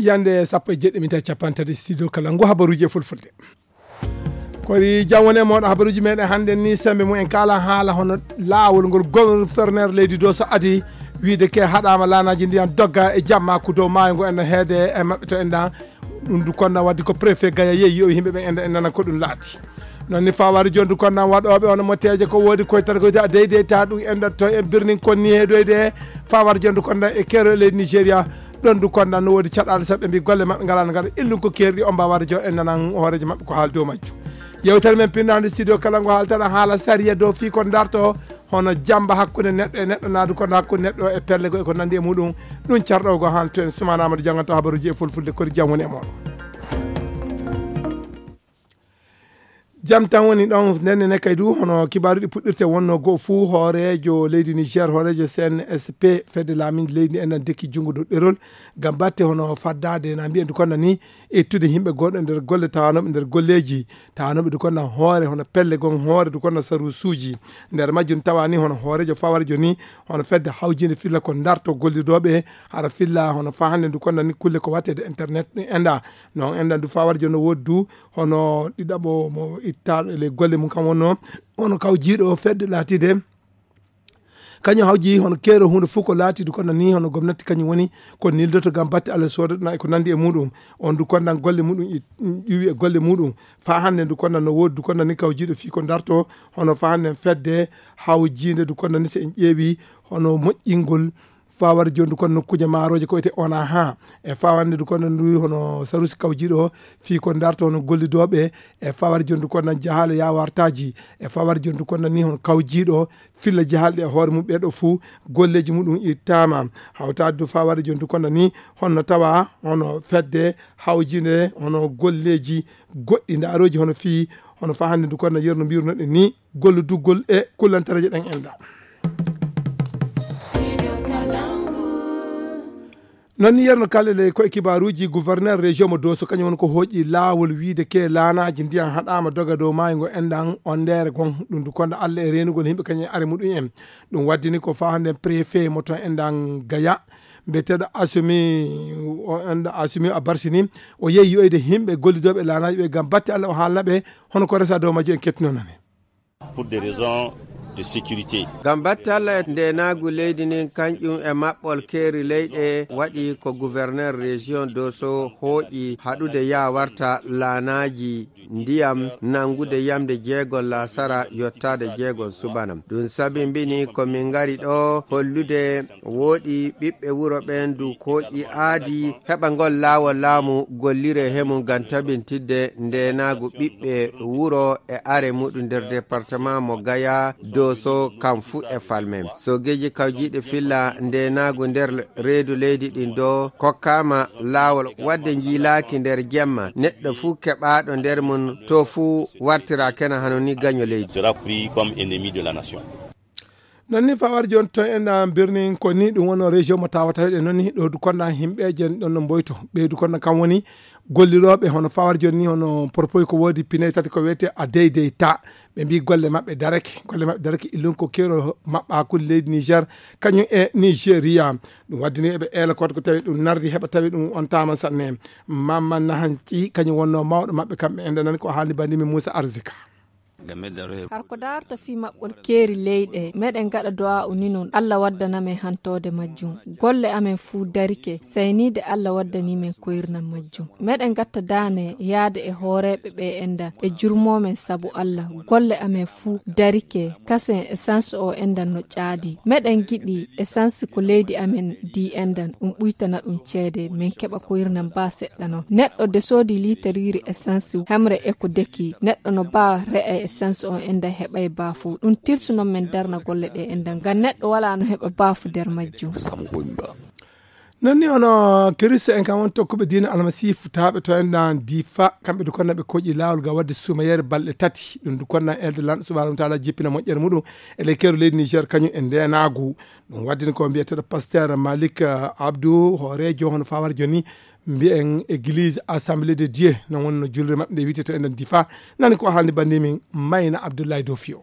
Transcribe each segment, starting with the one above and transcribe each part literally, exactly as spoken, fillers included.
Yande sappo e jeɗɗi minti capanɗe tati, studio kala ngu habaruji e fulfulde. Kori jam woni e moɗo habaruji meɗen hannde ni, sembe mu en kala haala hono laawol ngol gouverneur leydi do so adi wiide ke haɗama laanaji ndiyan dogga e jamma ko dow maayo ngo en heede e maɓɓe to en ɗan. Ɗum du konna waddi ko préfet Gaya yeeyi yo yimɓe ɓen en, en nana ko ɗum laati. Non ni fawari jondu konna waɗoɓe on motteje ko wodi koye tan ko da deydey ta ɗum en to en birnin konni heedoyde fawari jondu konna e kero leydi Nigeria. Ɗon du konna no wodi caɗaale saɓɓe mbi golle maɓɓe ngala no ngara illum ko kerɗi on mbawade jo en nanan hoorejo maɓɓe ko haal dow majju. Yewtere men pinnande studio kala ngo haaltata haala sariya dow fii ko darto hono jamba hakkunde neɗɗo e neɗɗo naadu kono hakkunde neɗɗo e pelle go e ko nandi e muɗum. Ɗum carɗo go han to en sumanama ɗo janganta habaruji e fulfulde kori jam woni e moɗo. Jam tan woni ɗon ndenne ne kay du hono kibaaruɗi puɗɗirte wonno goo fuu hooreejo leydi Niger hooreejo C N S P fedde laaminde leydi enɗan dekki junngo dow ɗerol ngam batte hono faddaade na mbiyen du konna ni ittude yimɓe gonɗo nder golle tawanooɓe nder golleeji tawanooɓe du konna hoore hono pelle gon hoore du konna sarusuuji. Nder majjum tawa ni hono hooreejo fawarjo ni hono fedde hawjinde filla ko darto gollidooɓe hara filla hono fa hannde du konna ni kulle ko wattede internet ɗin enɗa non enɗan du fawarjo no woodi du hono ɗiɗaɓo mo ittaɗo e ley golle mum kam wonno hono kawjiiɗo fedde laatide kañum hawji hono keero hunde fof ko laatidu kono ni hono gomnati kañum woni ko nildoto gam batte allah sooda ɗum e ko nandi e muɗum. On du konnan golle muɗum ƴuwi e golle muɗum fa hannde du konnan no woodi du konnan ni kawjiiɗo fii ko darto hono fa hannde fedde hawjiinde du konnan ni so en ƴeewi hono moƴƴingol fawade jondu kono nokkuuje maaroje ko wiyete ona ha e fawande du kono ndu hono sarusi kawjiɗo fii ko darto hono gollidooɓe e fawade jondu kono nan jahaale yawartaji e fawade jondu kono ni hono kawjiɗo filla jahalɗe e hoore mum ɓeɗo fuu golleji muɗum ittama hawtade du fawade jondu kono ni hono tawa hono fedde hawjinde hono golleji goɗɗi ndaroji hono fii hono fa hannde du kono yerno mbirnoɗen ni golludugol e kullantareje ɗen enɗa. Non ni yerno kalele koye kibaruji gouverneur région mo doso kañum woni ko hooƴi laawol wiide ke laanaji ndiyan haɗama doga dow maayo ngo enɗan on ndere gon ɗum du konda allah e renugol yimɓe kañum e are muɗum en ɗum waddini ko fa hannde préfet mo ton enɗan gaya mbiyeteɗo asumi o enɗan asumi a barsini o yeeyi yoyde yimɓe gollidoɓe laanaji ɓe gam batte allah o haalnaɓe hono ko resa dow majjo en kettinonani. Pour des raisons de sécurité. Ngam batte Allah e ndeenaagu leydi ndin, kañƴum e maɓɓol keeri leyɗe, waɗi ko gouverneur région Doso hooƴi haɗude yaawarta laanaaji ndiyam nanngude yamde jeegon laasara yottaade jeegon subana. Ɗum sabi mbini ko min ngari ɗo hollude wooɗi ɓiɓɓe wuro ɓeen du kooƴi aadi heɓa ngol laawol laamu gollire he mum ngam tabintidde ndeenaagu ɓiɓɓe wuro e are muɗum nder département mo Gaya, Doso, kam fuu e falmen. Sogeeji kawjiiɗi filla ndeenaagu nder reedu leydi ɗin do kokkaama laawol waɗde njiilaaki nder jemma neɗɗo fuu keɓaaɗo nder mum to fuu wartira kena hano ni gaño leydi. Sera pris comme ennemi de la nation. Non ni fawar joni to en birnin ko ni ɗum wono région mo tawa tawiɗe non ni ɗo du konda himɓeje ɗon no mboyto ɓeydu konda kam woni golliroɓe hono fawar joni ni hono propos ko wodi pinay tati ko wiyete a deydey ta ɓe mbi golle maɓɓe darake golle maɓɓe darake illun ko kero maɓɓa hakkude leydi Niger kañum e Nigeria. Ɗum waddini eɓe eela koto ko tawi ɗum nardi heɓa tawi ɗum on tama sanne mamma nahanci kañum wonno mawɗo maɓɓe kamɓe ende nan ko haalni bandimi Moussa Arzika. Har ko daarta fii maɓɓol keeri leyɗe, meɗen gaɗa du'aa'u ni non, Allah waddana men hantoode majjum. Golle amen fuu darike, sayniide Allah waddanii men koyirnam majjum. Meɗen gatta daane yaade e hooreeɓe ɓe enɗan, ɓe jurmoo men sabu Allah. Golle amen fuu darike, kasen essence o enɗan no ƴaadi. Meɗen giɗi essence ko leydi amen di enɗan, ɗum ɓuytana ɗum ceede, men keɓa koyirnam baa seɗɗa non. Neɗɗo de soodi liiteriiri essence hemre e ko deki, neɗɗo no baa re'a e essence on enɗan heɓay baafu. Ɗum tilsu non men darna golle ɗe enɗan, ngam neɗɗo walaa no heɓa baafu nder majjum. Non ni hono kirista en kam won tokkuɓe diina almasiifu taaɓe to enɗan difa, kamɓe du konna ɓe koƴi laawol ga wadde suumayeere balɗe tati. Ɗum du konna elde lanɗo subhanahu wa taala jippina moƴƴere muɗum e ley keeru leydi Niger kañum e ndeenaagu. Ɗum waddini ko mbiyeteɗo pasteur Malik, eh, Abdou, hooreejo hono fawar joni mbiyen église assemblée de Dieu, non wonno julre maɓɓe nde wiyete to enɗan difa. Nani ko haalni banndimin Mayna Abdoulaye Dofio.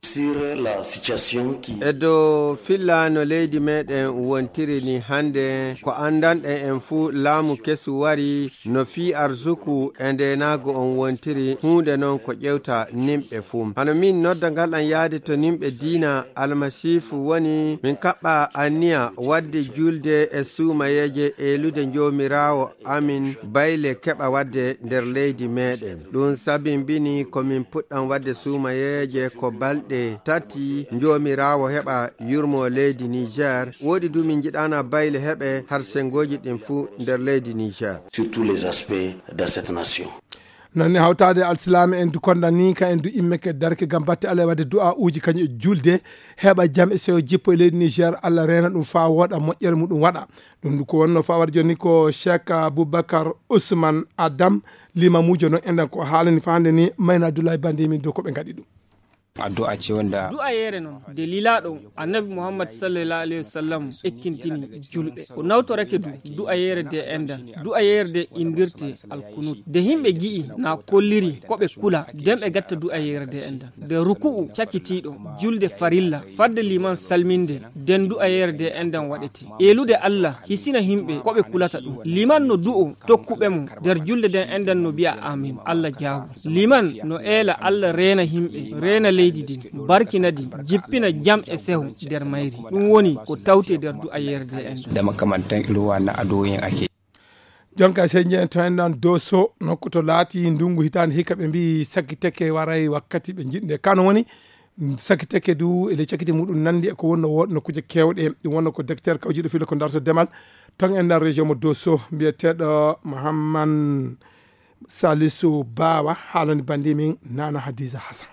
Sur la situation qui E dow filla no leydi meɗen wontiri ni hannde, ko anndanɗen en fuu, laamu kesu wari no fii arsuku e ndeenaagu on wontiri, huunde non ko ƴewta nimɓe fuu. Hano min nodda ngal an yaade to nimɓe diina Almasiifu woni, min kaɓɓa anniya waɗde julde e suumayeeje, eelude Joomiraawo amin bayle keɓa waɗde nder leydi meɗen. Ɗum sabimbini ko min puɗɗan waɗde suumayeeje ko balɗe tati, Joomiraawo heɓa yurmo leydi Niger. Woɗi du min njiɗana bayle heɓe har sengooji ɗin fuu nder leydi Niger. Sur tous les aspects de cette nation. Noon ne hawtaade alsilaame en du konda ni ka en du immeke darke ngam batte Allah e waɗde du'a uji kañum e julde heɓa jam e sewo jippo e leydi Niger, Allah reena ɗum faa wooɗa moƴƴere muɗum waɗa. Ɗum ko wonno faa waɗa jooni ko Cheikh Aboubacar Ousmane Adam, limamuujo noon enɗan ko haalani faa hannde ni Mayna Abdoulaye Bandi min dow ko ɓe ngaɗi ɗum. Addu'a ce wanda Du'ayeere non de lilaaɗo annabi Muhammad sallallahu alaihi wasallam ekkintini julɓe. Ko nawtorake du du'ayeere de enɗan. Du'ayeere de indirte alkunut. De himɓe gi'i na kolliri ko ɓe kula, den ɓe gatta du'ayeere de enɗan. De ruku'u cakitiiɗo julde farilla, fadde liman salminde, den du'ayeere de enɗan waɗete. Eelude Allah hisina himɓe ko ɓe kulata ɗum. Liman no du'o tokkuɓe mo nder julde den enɗan no bi'a amin. Allah jaabu. Liman no eela Allah reena himɓe, reena leydi din, barkina di, jippina jam e seho nder mayri. Ɗum woni ko tawte nder du'ayeere de enɗan. Da makamantan irin wannan addu'o'in ake. Jonka sey jeen to enɗan Doso, nokku to laati ndungu hitaande hikka ɓe mbi'i sakiteke waray wakkati ɓe njiɗnde. Kano woni sakiteke du e ley cakite muɗum nandi e ko wonno woɗno kuje kewɗe. Ɗum wonno ko docteur kawjiɗo filo ko darto demal ton enɗan région mo Doso, mbiyeteeɗo Mahamman Salisu Bawa, haalani bandi min Nana Hadiza Hassan.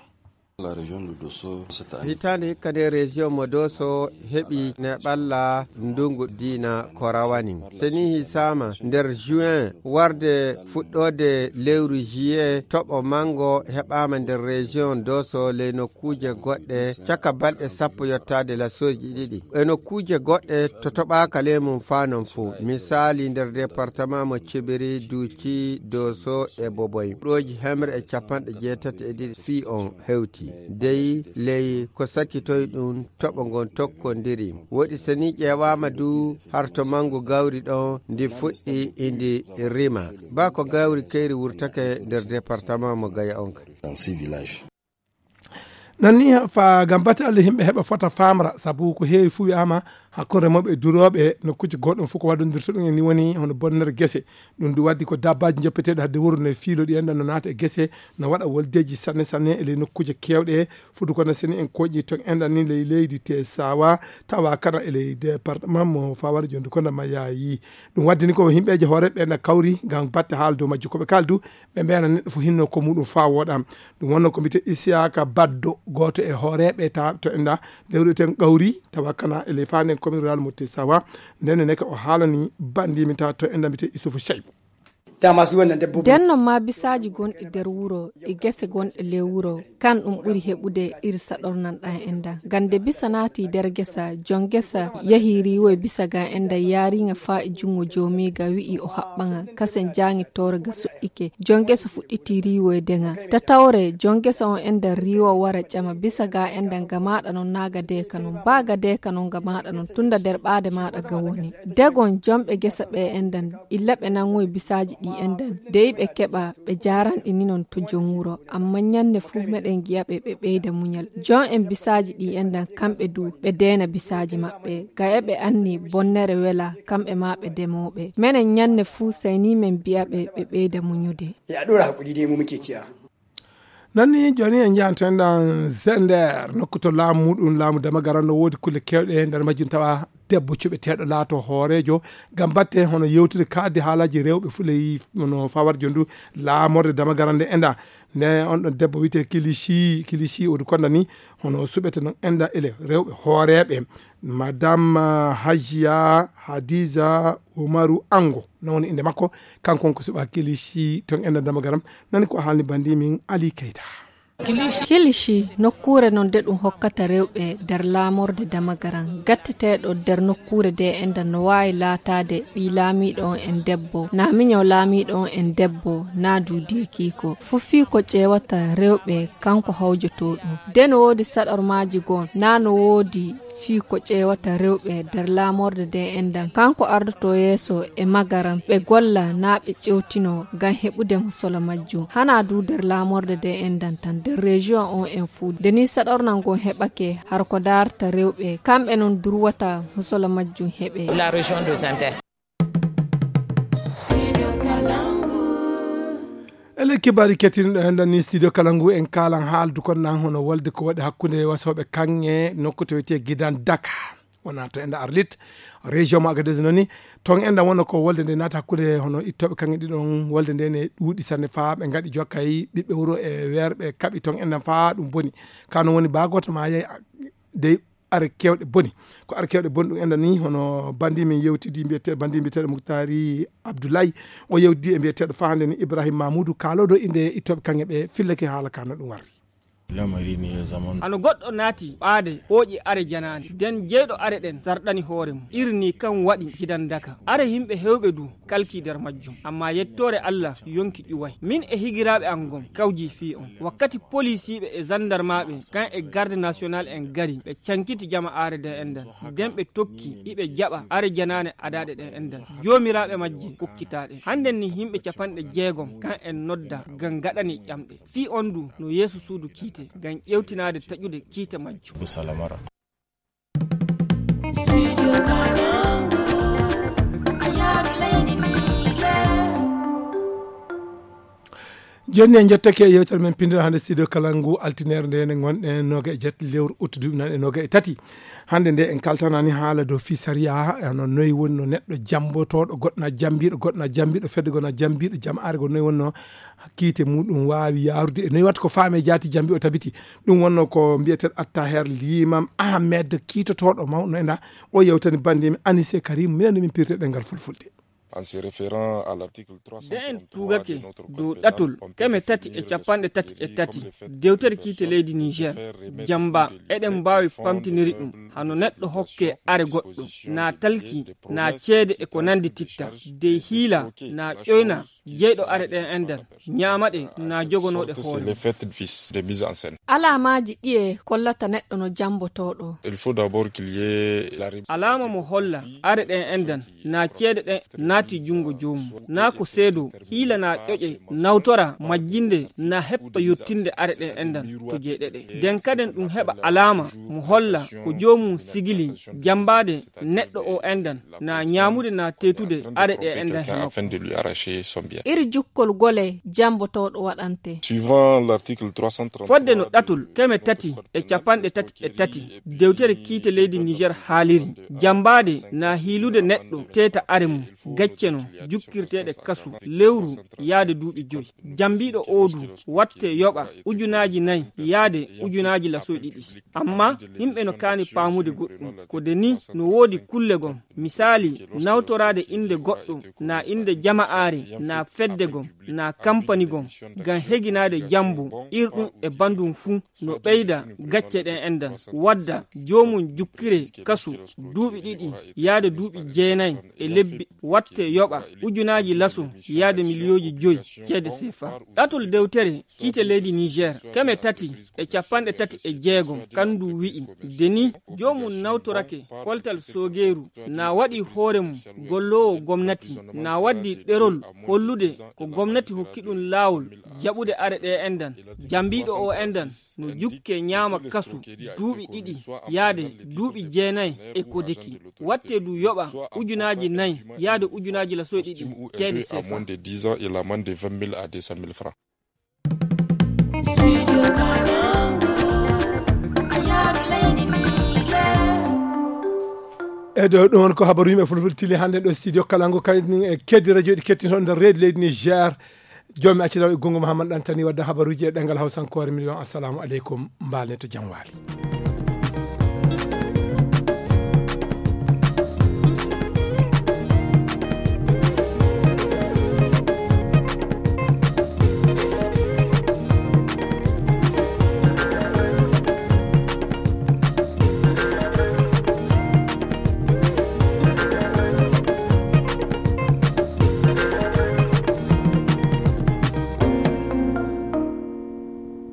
La région de Dosso cette année. Hitaande hikka nde région mo Doso heɓi neɓalla ndungu diina ko rawani. Seni hisaama nder juin warde fuɗɗoode lewru juillet, toɓo mango heɓaama nder région Doso ley nokkuuje goɗɗe caka balɗe sappo yottaade lasooji ɗiɗi. E nokkuuje goɗɗe to toɓaaka ley mum faa non fuu. Misaali nder département mo Cibiri, Duuci, Doso e Boboy. Ɗooji hemre e capanɗe jeetati e ɗiɗi fii on hewti. Dey ley ko sakitoy ɗum toɓo ngon tokkondiri. Woɗi seni ƴeewaama du har to mangu gawri ɗon ndi fuɗɗi indi rima. Ba ko gawri kayri wurtake nder département mo Gaya on kadi. Dans six villages. Noon ni fa ngam batte Allah yimɓe heɓa fota famra, sabu ko heewi fuu wiyaama hakkunde remooɓe e durooɓe, nokkuuji goɗɗum fof ko waɗondirta ɗum en ni woni hono bonnere gese. Ɗum du waddi ko dabbaaji njoppeteeɗi hadde wuro ne fiilo ɗi enɗan no naata e gese, no waɗa woldeeji sanne sanne e ley nokkuuje keewɗe. Fuɗɗo ko na seni en koƴi toon enɗan ni ley leydi te sawa tawa kana e ley département mo Fawar jondu ko na mayayi. Ɗum waddi ni ko yimɓeeje hooreeɓe na kawri ngam batte haala dow majju ko ɓe kaldu. Ɓe mbeena neɗɗo fof hinno ko muɗum faa wooɗa. Ɗum wonno ko mbiyetee Isiyaka Baddo, gooto e hooreeɓe ta-, to enda lewru ten Gawri, tawa kana e ley faanen commune rural mo Tessawa. Nden ne ka o haalani bandi min ta to enda mbiyetee Isufu Shaibu. Dama su wannan dabbobi. Den non ma bisaaji gonɗi nder wuro e gese gonɗe ley wuro, kan ɗum ɓuri heɓude iri saɗornan ɗan enda. Gande bisa naati nder gesa, jon gesa yahi riiwo e bisa ga enda yaariŋa faa e jungo joomiiga wi'i o haɓɓaŋa, kasen jaaŋi tooro ga suɗɗike. Jon gesa fuɗɗiti riiwo e deŋa. Tatawre, jon gesa on enda riiwo wara ƴama bisa ga enda nga maaɗa non naa ga deeka non. Ba ga deeka non nga maaɗa non, tunda nder ɓaade maaɗa ga woni. Degon jonɓe gesa ɓe endan, illa ɓe nanŋoy bisaaji ɗi endan. Dey ɓe keɓa, ɓe jaaranɗi ni non to jon wuro. Amma nyanne fu meɗen gi'a ɓe, ɓe ɓeyda munyal. Jon en bisaaji ɗi endan kamɓe du, ɓe deena bisaaji maɓɓe. Ga e ɓe anni bonnere wela, kamɓe ma ɓe demooɓe. Menen nyanne fu sey ni men bi'a ɓe, ɓe ɓeyda munyude. Ya ɗora haƙuri dai mu muke ciya. Noon ni jooni en njahan to enɗan Zender, nokku to laamu muɗum, laamu Damagaran no woodi kulle keewɗe, nder majjum tawa debbo cuɓeteeɗo laato hooreejo ngam batte hono yewtude kaaddi haalaaji rewɓe fuley no Fawar jondu laamorde Damagaran nde enɗan. Nde on ɗon debbo wiyetee Kilishi, Kilishi o du konda ni hono suɓete non enɗan ele rewɓe hooreeɓe. Madame, ah, Hajiya Hadiza Umaru Ango, non woni innde makko. Kanko on ko suɓaa Kilishi ton enɗan Damagaram. Nani ko haalni bandi min Ali Keita. Kilishi, nokkuure non de ɗum hokkata rewɓe nder laamorde Damagaran, gatteteeɗo nder nokkuure de enɗan no waawi laataade ɓii laamiiɗo on en debbo, naa miñaw laamiiɗo on en debbo, naa du deekiiko. Fuu fii ko ƴeewata rewɓe, kanko hawjotoo ɗum. De no woodi saɗormaaji goo, naa no woodi fii ko ƴeewata rewɓe nder laamorde de enɗan. Kanko ardotoo yeeso e Magaran, ɓe golla naa ɓe ƴeewtinoo ngam heɓude musola majjum. Hanaa du nder laamorde de enɗan tan, nder rejiyoŋ on en fuu. Nde nii saɗornal ngon heɓake, hara ko daarata rewɓe, kamɓe non durwata musola majjum heɓee. E ley kibaari kettinɗo enɗan ni studio kala ngu en kaalan haaldu kon nan hono wolde ko waɗi hakkunde wasooɓe kaŋŋe nokku to wiyetee Gidan Daka. Wona to enɗan Arlit, région mo Agadez noni. Ton enɗan wonno ko wolde nde naata hakkunde hono ittooɓe kaŋŋe ɗiɗon. Wolde nde ne ɗuuɗi sanne faa ɓe ngaɗi jokkay ɓiɓɓe wuro e weerɓe kaɓi ton enɗan faa ɗum boni. Ka non woni baa gooto maa yey dey are kewɗe boni. Ko are kewɗe boni ɗum enɗan ni hono bandi min yewtidi mbiyete-, bandi mbiyeteeɗo Muktari Abdoulaye. O yewtidi e mbiyeteeɗo faa hannde ni Ibrahim Mamoudou kaalooɗo innde ittooɓe kaŋŋe ɓe fillake haala ka no ɗum warri. Hano goɗɗo naati ɓaade ɓooƴi are janaane. Den jeyɗo are ɗen sarɗani hoore mum. Iri ni kan waɗi Gidan Daka. Are himɓe hewɓe du kalki nder majjum. Amma yettoore Allah yonki ƴuway. Min e higiraaɓe an gon kawji fii on. Wakkati poliisiiɓe e zandarmaaɓe kan e garde national en gari, ɓe cankiti jama are den enɗan. Den ɓe tokki iɓe jaɓa are janaane adaaɗe ɗen enɗan. Joomiraaɓe majje kokkitaaɗe. Hannden ni himɓe capanɗe jeegom kan en nodda ngam gaɗani ƴamɗe. Fii on du no yeeso suudu kiite ngam ƴewtinaade taƴude kiite majjum. Jooni en njottake e yewtere men pinndere hannde studio kala ngu altineere nde ne ngonɗen noga e jetti lewru uttu duuɓi nan e noga e tati. Hannde nde en kaltanani haala dow fii sariya, hono noy woni no neɗɗo jammbotooɗo, goɗɗo na jammbiiɗo, goɗɗo na jammbiiɗo, fedde goo na jammbiiɗo, jamaare goo noy wonno kiite muɗum waawi yaarude e noy watta ko faami e jaati jammbi o tabiti. Ɗum wonno ko mbiyeteeɗo Attaher Limam Ahmed, kiitotooɗo mawɗo ena, o yewtani banndiimi Anise Karim, minen no min pirte ɗemngal fulfulde. En se référant à l'article trois cent trente-trois de notre code pénal, on peut déduire de ce que le fait de faire remettre de fonds, de défendre des fonds, de prendre des promesses, de faire des choses, jeyɗo are ɗen enɗan, ñaama ɗe, na jogonoo ɗe hoore mum. Alaamaaji ɗiye kollata neɗɗo no jammbotooɗo? Il faut d'abord qu'il y ait la ré- Alaama mo holla are ɗen enɗan, na ceede ɗen naati junngo joomum, na ko seedo, hiila na ƴoƴe, nawtora, majjinde, na heppa yottinde are ɗen enɗan to jeyɗe ɗe. Den kaden ɗum heɓa alaama mo holla ko joomum sigili jammbaade neɗɗo o enɗan, na ñaamude na teetude are ɗe enɗan hino. Iri jukkol gole jammbotooɗo waɗante. Suivant l'article trois cent trente-trois. Fodde no ɗatol keme tati e capanɗe tati e tati dewtere kiite leydi Niger haaliri, jammbaade na hiilude neɗɗo teeta are mum, gacce no jukkirteeɗe kasu lewru yaade duuɓi joyi. Jammbiiɗo oo du watte yoɓa ujunaaji nayi yaade ujunaaji lasoy ɗiɗi. Amma himɓe no kaani paamude goɗɗum. Ko de ni no woodi kulle gom. Misaali, nawtoraade innde goɗɗo, na innde jama'aare, na fedde gom, na kampani gom, ngam heginaade jambo, irɗum e banndum fuu no ɓeyda gacce ɗen enɗan. Wadda joomum jukkire kasu duuɓi ɗiɗi yaade duuɓi jeenayi e lebbi, watte yoɓa ujunaaji laso yaade miliyooji joyi ceede sefa. Ɗatol dewtere kiite leydi Niger, keme tati e capanɗe tati e jeegom, kandu wi'i, de ni joomum nawtorake koltal soogeeru, na waɗi hoore mum golloowo gomnati, na waddi ɗerol hollude ko gomnati hokki ɗum laawol jaɓude are ɗe enɗan. Jambiiɗo o enɗan no jukke ñaama kasu duuɓi ɗiɗi yaade duuɓi jeenayi e kodeki. Watte du yoɓa ujunaaji nayi yaade ujunaaji lasoy ɗiɗi ceede sefa. E ɗo ɗum won ko habaru yimɓe fulfulde tili hannde ɗo studio Kalangu, kadi e keddi radio ɗi kettinto nder reedu leydi Niger. Jomi acci daw e gongo Mahamad Ɗantani wadda habaruji e ɗengal Hausankoore. Min wiyan assalamu aleykum, mbalen to jam waali.